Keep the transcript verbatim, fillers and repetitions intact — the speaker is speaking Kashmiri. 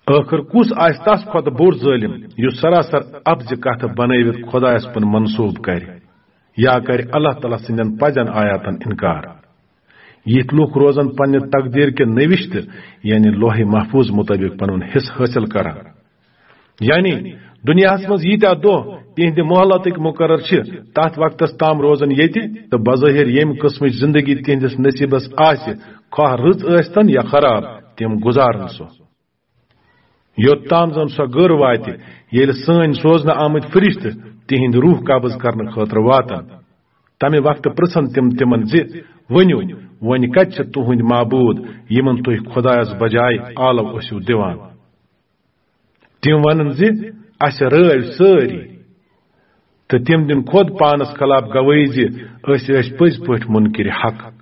ٲخٕر کُس آسہِ تس کھۄتہٕ بوٚڑ ظٲلم، یُس سراسر اپزِ کتھٕ بنٲوِتھ خۄدایس کُن منسوب کرِ، یا کرِ اللہ تعالیٰ سٕنٛدٮ۪ن پزٮ۪ن آیاتن انکار؟ یِتھۍ لوٗکھ روزن پننہِ تقدیٖر کہِ نوشتہٕ، یعنی لوحِ محفوظ مُطٲبِق پنُن حصہٕ حٲصِل کران۔ یعنی دُنیاہس منٛز ییٖتیٛاہ دۄہ تِہنٛدِ مۄہلتٕکۍ مُقرر چھِ، تتھ وقتس تام روزن ییٚتہِ، تہٕ بظٲہر ییٚمہِ قٕسمٕچ زندگی تِہنٛدِس نصیٖبس آسہِ، خواہ رٕژ ٲسۍتن یا خراب، تِم گُزارن سۄ۔ یوٚت تام زن سۄ گٔر واتہِ، ییٚلہِ سٲنۍ سوزنہٕ آمٕتۍ فرشتہٕ تِہنٛدۍ روح قبض کرنہٕ خٲطرٕ واتن۔ تمہِ وقتہٕ پرژھن تِم تِمن زِ، "ؤنِو، وۄنۍ کتہِ چھِ تُہنٛدۍ معبوٗد، یِمن تُہۍ خۄدایس بجایہِ آلو ٲسِو دِوان؟" تِم ونن زِ، "اسہِ رٲوۍ سٲری، تہٕ تِم دِن خۄد پانس خلاف گوٲہی زِ أسۍ ٲسۍ پٔزۍ پٲٹھۍ مُنکِرِ حق۔"